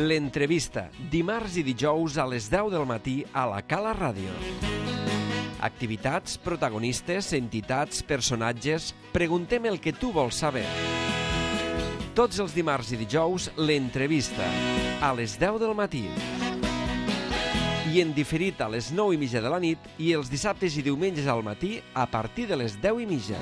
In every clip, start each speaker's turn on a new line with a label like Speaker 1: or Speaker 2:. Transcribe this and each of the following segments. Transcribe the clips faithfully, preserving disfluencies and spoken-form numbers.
Speaker 1: L'entrevista, dimarts i dijous a les deu del matí a la Cala Ràdio. Activitats, protagonistes, entitats, personatges... Preguntem el que tu vols saber. Tots els dimarts i dijous, l'entrevista, a les deu del matí. I en diferit a les nou i mitja de la nit i els dissabtes i diumenges al matí a partir de les deu i mitja.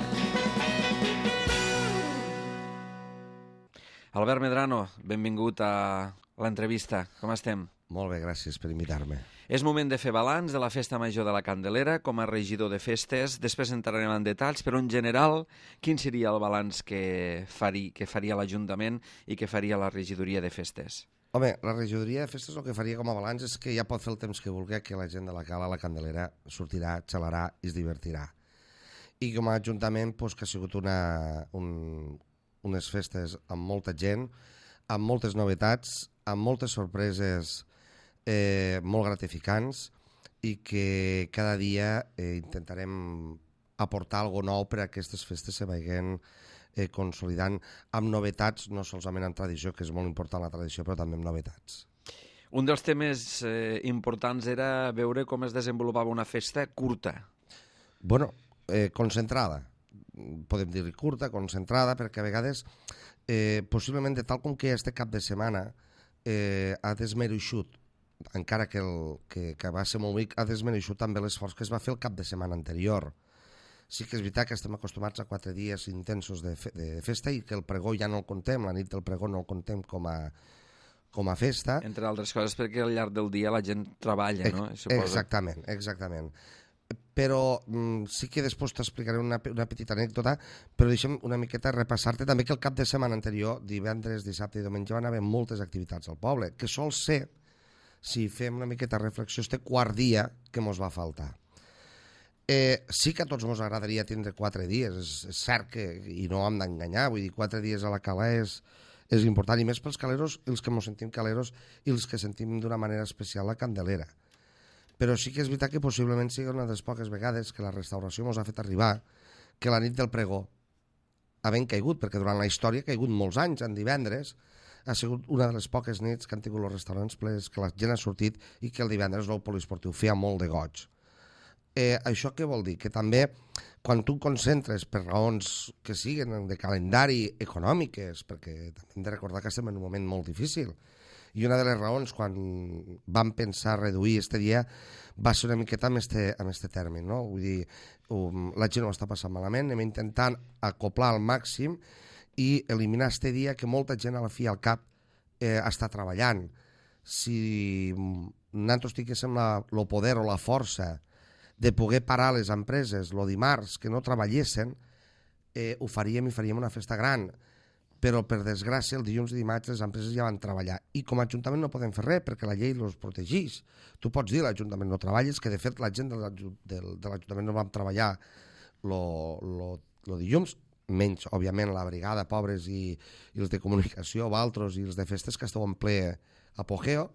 Speaker 1: Albert Medrano, benvingut a l'entrevista. Com estem?
Speaker 2: Molt bé, gràcies per invitar-me.
Speaker 1: És moment de fer balanç de la Festa Major de la Candelera com a regidor de festes. Després entrarem en detalls, però en general, quin seria el balanç que faria, que faria l'Ajuntament i que faria la regidoria de festes?
Speaker 2: Home, la regidoria de festes el que faria com a balanç és que ja pot fer el temps que vulgui, que la gent de la Cala, la Candelera, sortirà, xalarà i es divertirà. I com a Ajuntament, doncs, que ha sigut una, un, unes festes amb molta gent, amb moltes novetats, amb moltes sorpreses eh, molt gratificants i que cada dia eh, intentarem aportar alguna nou per a aquestes festes se vagin eh, consolidant amb novetats, no solament en tradició, que és molt important la tradició, però també amb novetats.
Speaker 1: Un dels temes eh, importants era veure com es desenvolupava una festa curta.
Speaker 2: Bueno, eh, concentrada. Podem dir-li curta, concentrada, perquè a vegades, eh, possiblement de tal com que este cap de setmana eh, ha desmereixut, encara que, el, que, que va ser molt ric, ha desmereixut també l'esforç que es va fer el cap de setmana anterior. Sí que és veritat que estem acostumats a quatre dies intensos de, fe, de festa i que el pregó ja no el contem, la nit del pregó no el contem com a, com a festa.
Speaker 1: Entre altres coses perquè al llarg del dia la gent treballa, no?
Speaker 2: Suposo. Exactament, exactament. Però mm, sí que després t'explicaré una, una petita anècdota, però deixem una miqueta repassar-te també que el cap de setmana anterior, divendres, dissabte i diumenge, van haver moltes activitats al poble, que sol ser, si fem una miqueta reflexió, este quart dia que mos va faltar. Eh, sí que a tots ens agradaria tindre quatre dies, és, és cert que, i no hem d'enganyar, vull dir, quatre dies a la Cala és, és important, i més pels caleros, els que ens sentim caleros i els que sentim d'una manera especial la Candelera. Però sí que és veritat que possiblement sigui una de les poques vegades que la restauració ens ha fet arribar que la nit del pregó, havent caigut, perquè durant la història ha caigut molts anys, en divendres, ha sigut una de les poques nits que han tingut els restaurants plens, que la gent ha sortit i que el divendres el poliesportiu feia molt de goig. Eh, això què vol dir? Que també quan tu concentres per raons que siguin de calendari econòmiques, perquè també hem de recordar que estem en un moment molt difícil, i una de les raons quan vam pensar reduir este dia va ser una miqueta amb este, amb este terme, no? Vull dir, um, la gent ho està passant malament, anem intentant acoplar al màxim i eliminar este dia que molta gent a la fi al cap eh, està treballant. Si nosaltres tinguéssim el poder o la força de poder parar les empreses el dimarts que no treballessin, eh, ho faríem i faríem una festa gran. Però, per desgràcia, el dilluns i dimarts les empreses ja van treballar. I com a Ajuntament no podem fer res, perquè la llei els protegeix. Tu pots dir l'Ajuntament no treballes, que de fet la gent de l'Ajuntament no vam treballar el dilluns, menys, òbviament, la brigada, pobres, i, i els de comunicació, altres, i els de festes, que esteu en ple apogeo,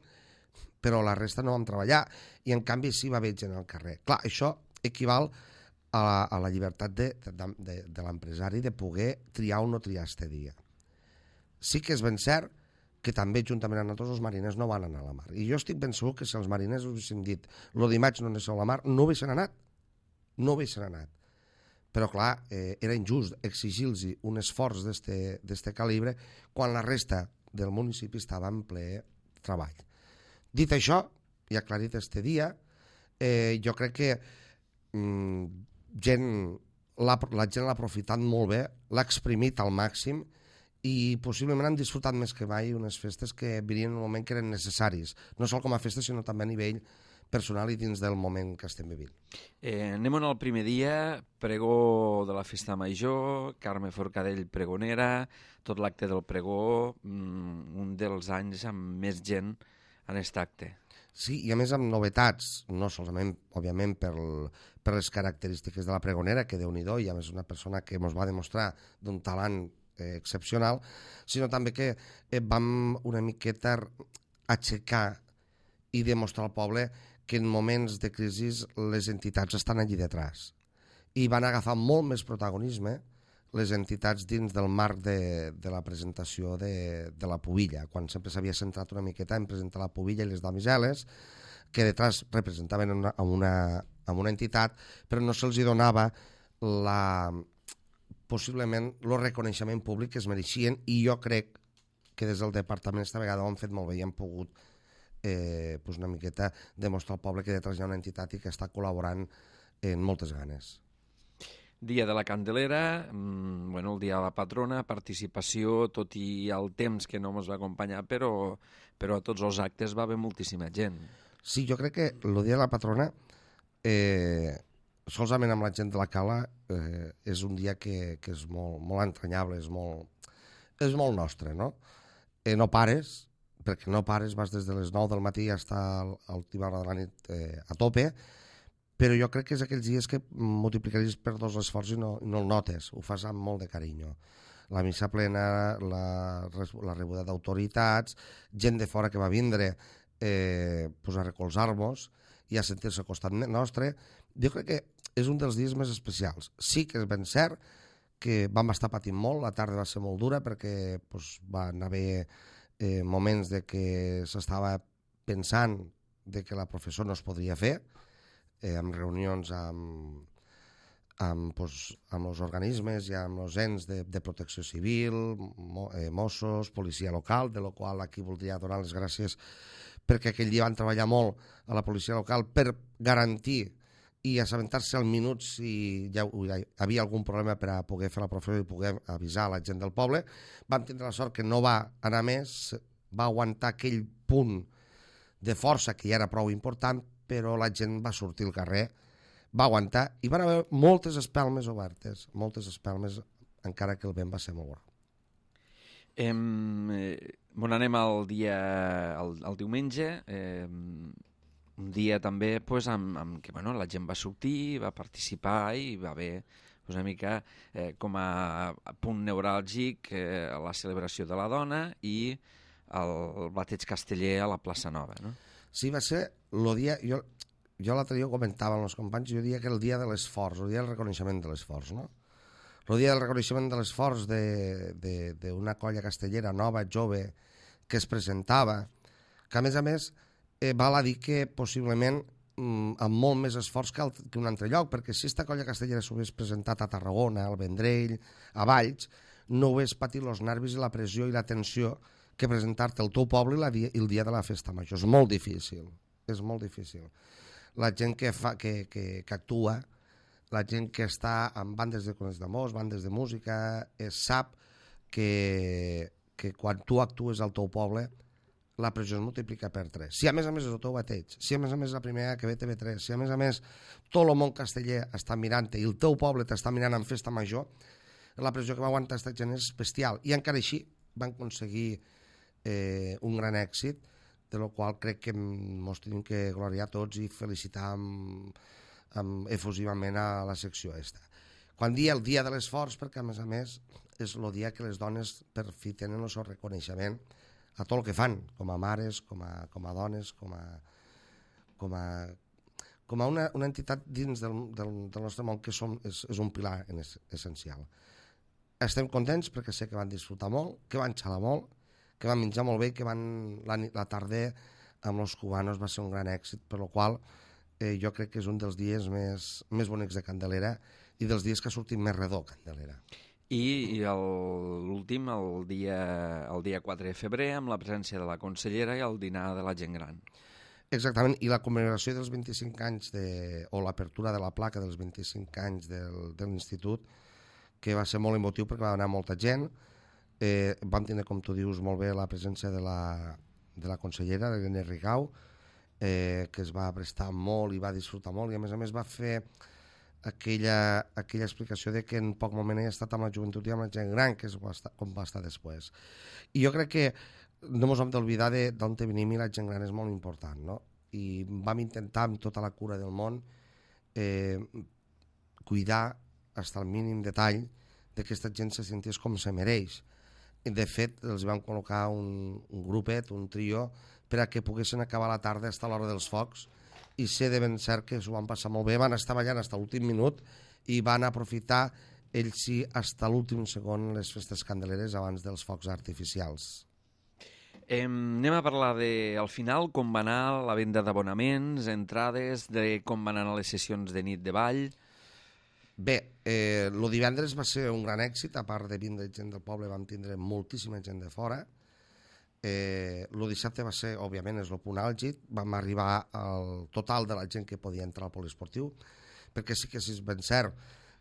Speaker 2: però la resta no vam treballar. I, en canvi, sí va haver gent al carrer. Clar, això equival a la, a la llibertat de, de, de, de l'empresari de poder triar o no triar este dia. Sí que és ben cert que també juntament amb nosaltres els mariners no van anar a la mar. I jo estic ben segur que si els mariners us haguessin dit el dimarts no aneu a la mar, no haguessin anat. No haguessin anat. Però clar, eh, era injust exigir-los un esforç d'este calibre quan la resta del municipi estava en ple treball. Dit això, i aclarit este dia, eh, jo crec que mm, gent, la, la gent l'ha aprofitat molt bé, l'ha exprimit al màxim, i possiblement han disfrutat més que mai unes festes que venien en un moment que eren necessaris, no sol com a festes, sinó també a nivell personal i dins del moment que estem vivint.
Speaker 1: Eh, anem al primer dia, pregó de la Festa Major, Carme Forcadell pregonera, tot l'acte del pregó, mm, un dels anys amb més gent en aquest acte.
Speaker 2: Sí, i a més amb novetats, no solament, òbviament, per, per les característiques de la pregonera, que Déu-n'hi-do, i a més una persona que ens va demostrar d'un talent eh, excepcional, sinó també que eh, vam una miqueta aixecar i demostrar al poble que en moments de crisi les entitats estan allí detrás. I van agafar molt més protagonisme les entitats dins del marc de, de la presentació de, de la pubilla, quan sempre s'havia centrat una miqueta en presentar la pubilla i les damiseles, que detrás representaven una, una, una entitat, però no se'ls donava la, possiblement el reconeixement públic que es mereixien, i jo crec que des del departament esta vegada ho han fet molt bé i han pogut eh, pues una miqueta demostrar al poble que detrás hi ha una entitat i que està col·laborant en moltes ganes.
Speaker 1: Dia de la Candelera, mmm, bueno, el dia de la patrona, participació, tot i el temps que no ens va acompanyar, però, però a tots els actes va haver moltíssima gent.
Speaker 2: Sí, jo crec que el dia de la patrona, eh, solament amb la gent de la Cala, eh, és un dia que, que és molt, molt entranyable, és molt, és molt nostre, no? Eh, no pares, perquè no pares, vas des de les nou del matí fins a l'última hora de la nit eh, a tope, però jo crec que és aquells dies que multiplicaries per dos l'esforç i no, no el notes, ho fas amb molt de carinyo. La missa plena, la, la rebuda d'autoritats, gent de fora que va vindre eh, pues a recolzar-nos i a sentir-se al costat nostre. Jo crec que és un dels dies més especials. Sí que és ben cert que vam estar patint molt, la tarda va ser molt dura perquè pues, van haver eh, moments de que s'estava pensant de que la professó no es podria fer, Eh, amb reunions amb, amb, pues, amb els organismes i amb els ens de, de protecció civil, mo, eh, Mossos, policia local, de la qual aquí voldria donar les gràcies perquè aquell dia van treballar molt a la policia local per garantir i assabentar-se al minut si hi havia algun problema per a poder fer la professió i poder avisar la gent del poble. Vam tindre la sort que no va anar més, va aguantar aquell punt de força que ja era prou important, però la gent va sortir al carrer, va aguantar, i van haver moltes espelmes obertes, moltes espelmes, encara que el vent va ser molt gros.
Speaker 1: Eh, bon, anem al dia, al, al diumenge, eh, un dia també pues, amb, amb què bueno, la gent va sortir, va participar i va haver pues, una mica eh, com a, a punt neuràlgic eh, la celebració de la dona i el, el bateig casteller a la plaça Nova, no?
Speaker 2: Sí, va ser el dia... Jo, jo l'altre dia ho comentava amb els companys, jo diria que el dia de l'esforç, el dia del reconeixement de l'esforç, no? El dia del reconeixement de l'esforç d'una colla castellera nova, jove, que es presentava, que a més a més eh, val a dir que possiblement mm, amb molt més esforç que, el, que un altre lloc, perquè si aquesta colla castellera s'ho hagués presentat a Tarragona, al Vendrell, a Valls, no hagués patit els nervis i la pressió i la tensió que presentar-te al teu poble i el dia de la festa major. És molt difícil, és molt difícil. La gent que, fa, que, que, que actua, la gent que està en bandes de concerts d'amors, bandes de música, es sap que, que quan tu actues al teu poble la pressió es multiplica per tres. Si a més a més és el teu bateig, si a més a més és la primera que ve T V tres, si a més a més tot el món casteller està mirant-te i el teu poble t'està mirant en festa major, la pressió que va aguantar aquesta gent és bestial. I encara així van aconseguir Eh, un gran èxit, de lo qual crec que ens tenim que gloriar tots i felicitar amb, amb efusivament a la secció esta. Quan dia el dia de l'esforç, perquè a més a més és el dia que les dones per fi tenen el seu reconeixement a tot el que fan, com a mares, com a, com a dones, com a, com a, com a una, una entitat dins del, del, del nostre món que som, és, és un pilar en es, essencial. Estem contents perquè sé que van disfrutar molt, que van xalar molt, que van menjar molt bé, que van la, la tarda amb els cubanos va ser un gran èxit, per la qual eh, jo crec que és un dels dies més, més bonics de Candelera i dels dies que ha sortit més redó Candelera.
Speaker 1: I, i l'últim, el dia, el dia quatre de febrer, amb la presència de la consellera i el dinar de la gent gran.
Speaker 2: Exactament, i la commemoració dels vint-i-cinc anys, de, o l'apertura de la placa dels vint-i-cinc anys del, de l'institut, que va ser molt emotiu perquè va anar molta gent. Eh, vam tenir, com tu dius molt bé, la presència de la, de la consellera, l'Helena Rigau, eh, que es va prestar molt i va disfrutar molt, i a més a més va fer aquella, aquella explicació de que en poc moment he estat amb la joventut i amb la gent gran, que és com va estar després. I jo crec que no ens hem d'oblidar d'on venim i la gent gran és molt important, no? I vam intentar amb tota la cura del món eh, cuidar fins al mínim detall de que aquesta gent se sentís com se mereix. De fet, els vam col·locar un, un grupet, un trio, per a que poguessin acabar la tarda fins a l'hora dels focs, i sé de ben cert que s'ho van passar molt bé, van estar ballant fins a l'últim minut i van aprofitar ells sí, fins l'últim segon, les festes candeleres abans dels focs artificials.
Speaker 1: Eh, anem a parlar de, al final, com va anar la venda d'abonaments, entrades, de com van anar les sessions de nit de ball.
Speaker 2: Bé, eh, el divendres va ser un gran èxit, a part de vindre gent del poble vam tindre moltíssima gent de fora. Eh, el dissabte va ser, òbviament, és el punt àlgid, vam arribar al total de la gent que podia entrar al poliesportiu, perquè sí que és ben cert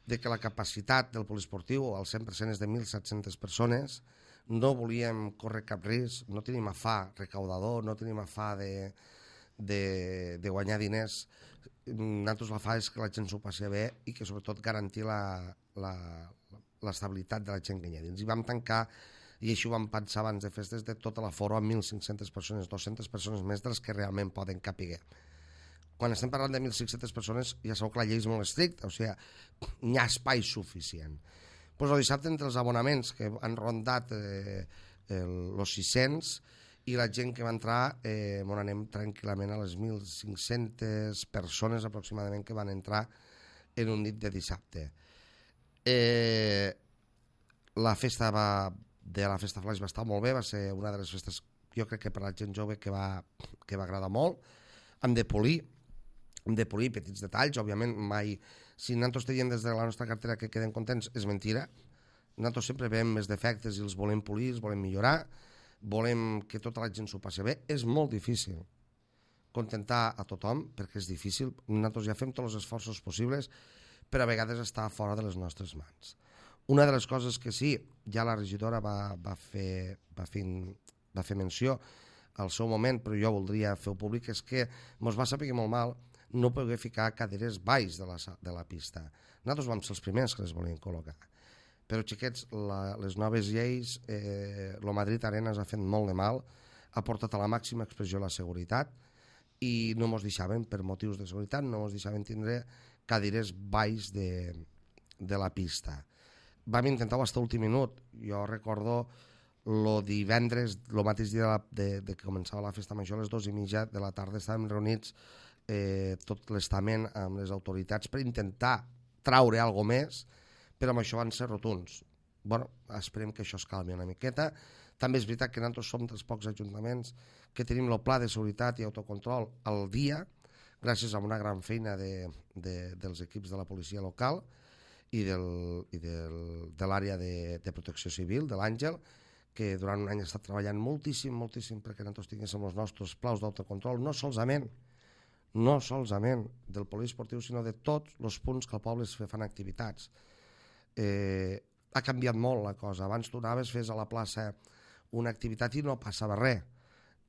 Speaker 2: de que la capacitat del poliesportiu al cent per cent és de mil set-centes persones. No volíem córrer cap risc, no tenim afà recaudador, no tenim afà de, de, de guanyar diners. Nosaltres l'afà és que la gent s'ho passi bé i que sobretot garantir l'estabilitat de la gent que hi ha dins. I vam tancar, i això ho vam pensar abans de festes, de tota la foro amb mil cinc-centes persones, dues-centes persones més dels que realment poden capiguer. Quan estem parlant de mil cinc-centes persones ja sabeu que la llei és molt estricta, o sigui, hi ha espai suficient. Pues el dissabte, entre els abonaments que han rondat eh, els sis-cents i la gent que va entrar, eh, on anem tranquil·lament a les mil cinc-centes persones aproximadament que van entrar en un nit de dissabte. Eh, la festa va, de la festa Flaix va estar molt bé, va ser una de les festes, jo crec que per la gent jove que va, que va agradar molt. Hem de polir, hem de polir petits detalls, òbviament mai... Si nosaltres te diem des de la nostra cartera que quedem contents, és mentira. Nosaltres sempre veiem més defectes i els volem polir, els volem millorar, volem que tota la gent s'ho passi bé. És molt difícil contentar a tothom, perquè és difícil. Nosaltres ja fem tots els esforços possibles, però a vegades està fora de les nostres mans. Una de les coses que sí, ja la regidora va, va, fer, va, fer, va fer menció al seu moment, però jo voldria fer-ho públic, és que ens va saber molt mal no poder ficar caderes baix de la, de la pista. Nosaltres vam ser els primers que les volien col·locar. Però, xiquets, la, les noves lleis, eh, el Madrid Arena ha fet molt de mal, ha portat a la màxima expressió la seguretat i no ens deixaven, per motius de seguretat, no ens deixaven tindre caderes baix de, de la pista. Vam intentar-ho fins a l'últim minut. Jo recordo el divendres, el mateix dia de, la, de, de que començava la festa major, a les dues i mitja de la tarda, estàvem reunits eh, tot l'estament amb les autoritats per intentar traure alguna més, però amb això van ser rotunds. Bueno, esperem que això es calmi una miqueta. També és veritat que nosaltres som dels pocs ajuntaments que tenim el pla de seguretat i autocontrol al dia, gràcies a una gran feina de, de, dels equips de la policia local i, del, i del, de l'àrea de, de protecció civil, de l'Àngel, que durant un any ha estat treballant moltíssim, moltíssim perquè nosaltres tinguéssim els nostres plaus d'autocontrol, no solament no solament del poliesportiu, sinó de tots els punts que el poble es fan activitats. Eh, ha canviat molt la cosa. Abans tu anaves, fes a la plaça una activitat i no passava res.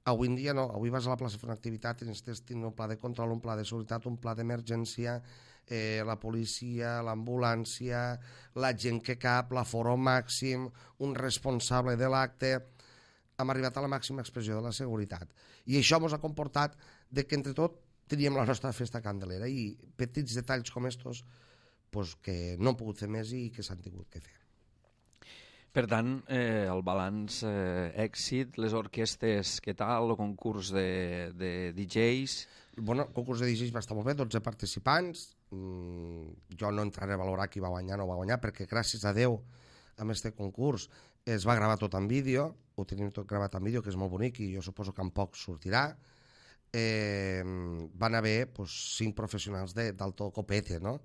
Speaker 2: Avui en dia no, avui vas a la plaça a fer una activitat i necessites tenir un pla de control, un pla de seguretat, un pla d'emergència, eh, la policia, l'ambulància, la gent que cap, l'aforo màxim, un responsable de l'acte. Hem arribat a la màxima expressió de la seguretat. I això ens ha comportat de que entre tot teníem la nostra festa candelera i petits detalls com estos pues, que no han pogut fer més i que s'han tingut que fer.
Speaker 1: Per tant, eh, el balanç eh, èxit, les orquestes, què tal, el concurs de, de D Js?
Speaker 2: Bueno, el concurs de D Js va estar molt bé, dotze participants. Mm, jo no entraré a valorar qui va guanyar o no va guanyar, perquè gràcies a Déu amb aquest concurs es va gravar tot en vídeo, ho tenim tot gravat en vídeo, que és molt bonic i jo suposo que en poc sortirà. Eh, van haver pues, cinc professionals d'alto copete, no?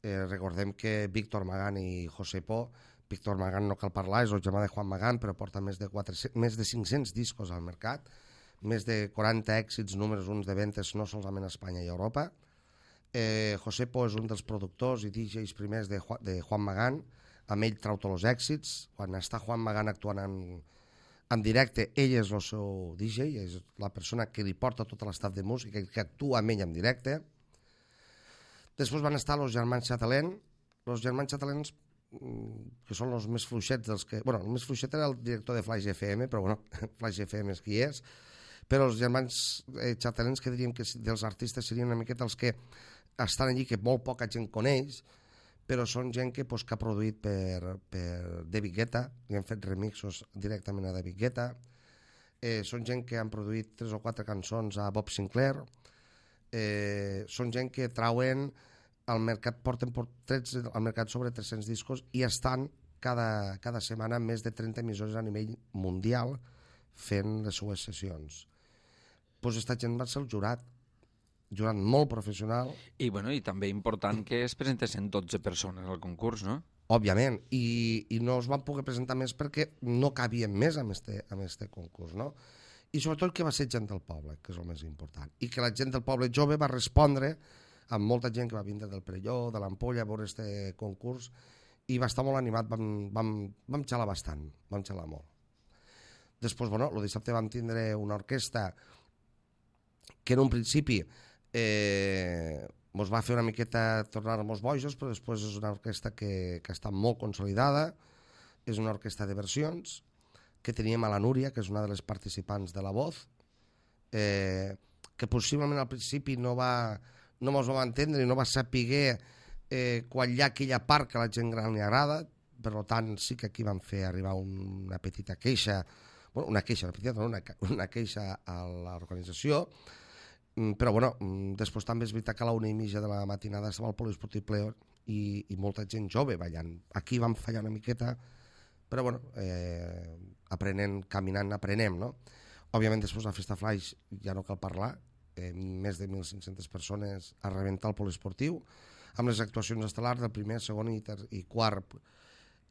Speaker 2: Eh, recordem que Víctor Magán i José Po, Víctor Magán no cal parlar, és el germà de Juan Magán, però porta més de, quatre-cents, més de cinc-cents discos al mercat, més de quaranta èxits números uns de ventes no solament a Espanya i a Europa. Eh, José Po és un dels productors i D Js primers de, Juan, de Juan Magán, amb ell trau tots els èxits. Quan està Juan Magán actuant en, en directe, ell és el seu D J, és la persona que li porta tot l'estat de música i que actua amb ell en directe. Després van estar els germans Chatelén, els germans Chatelens, que són els més fluixets dels que... Bueno, el més fluixet era el director de Flaix F M, però bueno, Flaix F M és qui és, però els germans eh, Chatelens, que diríem que dels artistes serien una miqueta els que estan allí, que molt poca gent coneix, però són gent que, pues, que ha produït per, per David Guetta, i han fet remixos directament a David Guetta, eh, són gent que han produït tres o quatre cançons a Bob Sinclair, eh, són gent que trauen al mercat porten tretze, al mercat sobre tres-cents discos i estan cada, cada setmana més de trenta emissores a nivell mundial fent les seues sessions. Doncs aquesta gent va ser el jurat, jurat molt professional.
Speaker 3: I, bueno, i també important que es presentessin dotze persones al concurs, no?
Speaker 2: Òbviament, i, i no es van poder presentar més perquè no cabien més amb este, amb este concurs, no? I sobretot que va ser gent del poble, que és el més important, i que la gent del poble jove va respondre amb molta gent que va vindre del Perelló, de l'Ampolla, a veure este concurs, i va estar molt animat, vam, vam, vam xalar bastant, vam xalar molt. Després, bueno, el dissabte vam tindre una orquestra que en un principi eh, ens va fer una miqueta tornar-nos bojos, però després és una orquestra que, que està molt consolidada, és una orquestra de versions, que teníem a la Núria, que és una de les participants de La Voz, eh, que possiblement al principi no va, no mos va entendre i no va saber eh, quan hi ha aquella part que a la gent gran li agrada, per tant sí que aquí vam fer arribar una petita queixa, bueno, una queixa, una, petita, no, una, una queixa a l'organització, però bueno, després també és veritat que a la una i mitja de la matinada estava el poliesportiu ple i, i molta gent jove ballant. Aquí vam fallar una miqueta, però bueno, eh, aprenent, caminant, aprenem, no? Òbviament després la Festa Flaix ja no cal parlar, eh, més de mil cinc-centes persones a rebentar el poliesportiu, amb les actuacions estel·lars del primer, segon i, ter i quart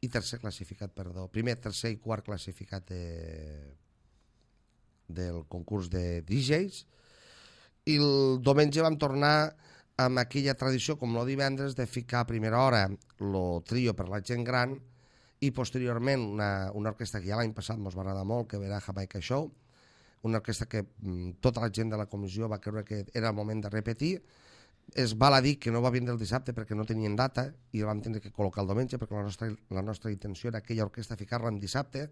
Speaker 2: i tercer classificat, perdó, primer, tercer i quart classificat de, del concurs de D Js, i el diumenge vam tornar amb aquella tradició, com el divendres, de ficar a primera hora el trio per la gent gran i posteriorment una, una orquestra que ja l'any passat ens va agradar molt, que era Jamaica Show, una orquestra que mm, tota la gent de la comissió va creure que era el moment de repetir. Es val a dir que no va vindre el dissabte perquè no tenien data i el vam tenir que col·locar el diumenge perquè la nostra, la nostra intenció era aquella orquestra ficar-la en dissabte,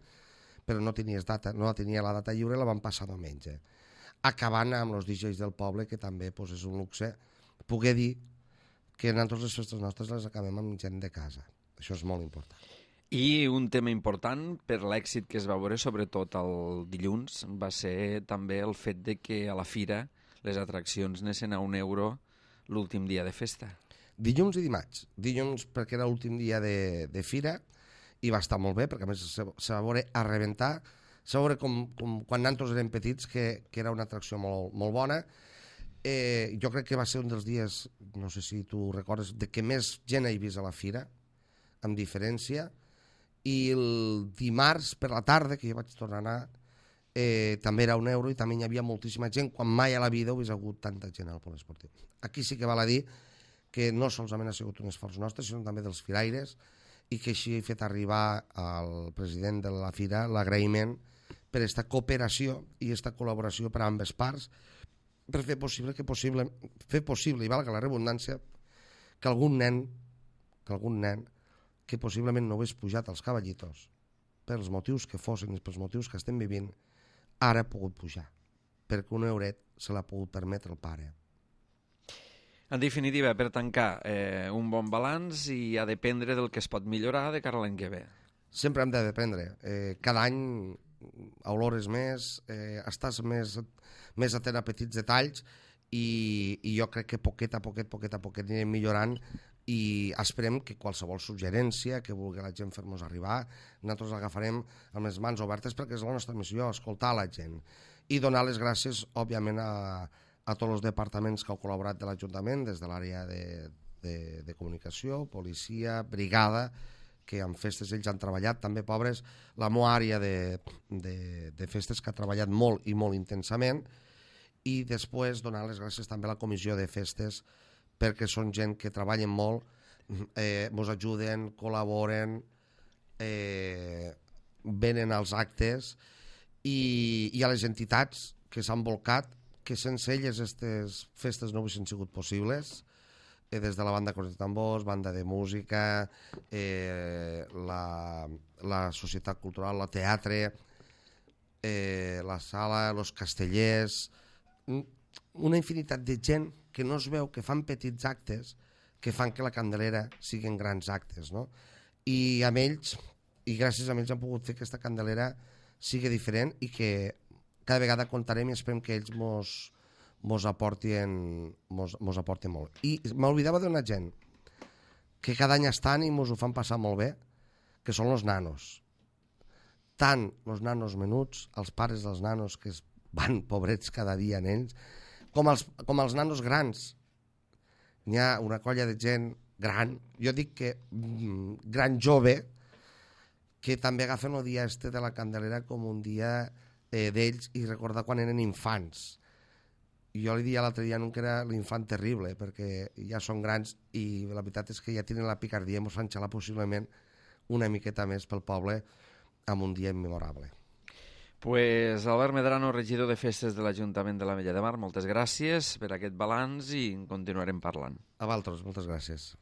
Speaker 2: però no tenies data, no tenia la data lliure, la vam passar diumenge. Acabant amb els D Js del poble, que també pues, és un luxe poder dir que nosaltres les festes nostres les acabem amb gent de casa. Això és molt important.
Speaker 3: I un tema important per l'èxit que es va veure, sobretot el dilluns, va ser també el fet de que a la fira les atraccions anessin a un euro l'últim dia de festa.
Speaker 2: Dilluns i dimarts. Dilluns perquè era l'últim dia de, de fira i va estar molt bé, perquè a més se, se va veure a rebentar. Se va veure com, com quan nosaltres érem petits, que, que era una atracció molt, molt bona. Eh, jo crec que va ser un dels dies, no sé si tu recordes, de que més gent he vist a la fira, amb diferència, i el dimarts per la tarda, que jo vaig tornar a anar, eh, també era un euro i també hi havia moltíssima gent, quan mai a la vida ho hagués hagut tanta gent al poliesportiu. Aquí sí que val a dir que no solament ha sigut un esforç nostre, sinó també dels firaires, i que així he fet arribar al president de la fira l'agraïment per aquesta cooperació i aquesta col·laboració per a ambes parts, per fer possible que possible, fer possible, i valga la redundància, que algun nen, que algun nen, que possiblement no hagués pujat als cavallitos, pels motius que fossin i pels motius que estem vivint, ara ha pogut pujar, perquè un euret se l'ha pogut permetre el pare.
Speaker 3: En definitiva, per tancar, eh, un bon balanç i ha dependre del que es pot millorar de cara a l'any que ve.
Speaker 2: Sempre hem de dependre. Eh, cada any olores més, eh, estàs més, més atent a petits detalls i, i jo crec que poquet a poquet, poquet a poquet anirem millorant i esperem que qualsevol suggerència que vulgui la gent fer-nos arribar, nosaltres l'agafarem amb les mans obertes perquè és la nostra missió, escoltar la gent i donar les gràcies, òbviament, a, a tots els departaments que heu col·laborat de l'Ajuntament, des de l'àrea de, de, de comunicació, policia, brigada, que en festes ells han treballat, també pobres, la meva àrea de, de, de festes que ha treballat molt i molt intensament, i després donar les gràcies també a la comissió de festes perquè són gent que treballen molt, eh, ens ajuden, col·laboren, eh, venen als actes i, i a les entitats que s'han volcat, que sense elles aquestes festes no haguessin sigut possibles, des de la banda Corts de Tambors, banda de música, eh, la, la societat cultural, el teatre, eh, la sala, els castellers, una infinitat de gent que no es veu, que fan petits actes, que fan que la Candelera siguin grans actes, no? I amb ells, i gràcies a ells han pogut fer que aquesta Candelera sigui diferent i que cada vegada contarem i esperem que ells mos, mos aportin, mos, mos aportin molt. I m'oblidava d'una gent que cada any estan i mos ho fan passar molt bé, que són els nanos. Tant els nanos menuts, els pares dels nanos que es van pobrets cada dia en ells, com els, com els nanos grans. N'hi ha una colla de gent gran, jo dic que mm, gran jove, que també agafen el dia este de la Candelera com un dia eh, d'ells i recordar quan eren infants. Jo li dia l'altre dia que era l'infant terrible, perquè ja són grans i la veritat és que ja tenen la picardia i ens fan xalar possiblement una miqueta més pel poble amb un dia immemorable.
Speaker 3: Pues Albert Medrano, regidor de Festes de l'Ajuntament de l'Ametlla de Mar, moltes gràcies per aquest balanç i en continuarem parlant.
Speaker 2: A vosaltres, moltes gràcies.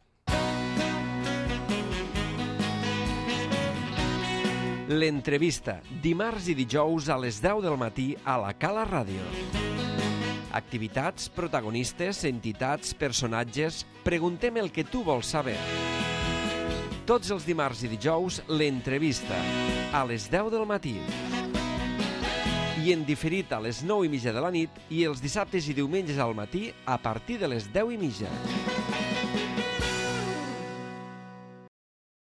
Speaker 1: L'entrevista, dimarts i dijous a les deu del matí a la Cala Ràdio. Activitats, protagonistes, entitats, personatges... Preguntem el que tu vols saber. Tots els dimarts i dijous, l'entrevista, a les deu del matí. I en diferit a les nou i mitja de la nit i els dissabtes i diumenges al matí a partir de les deu i mitja.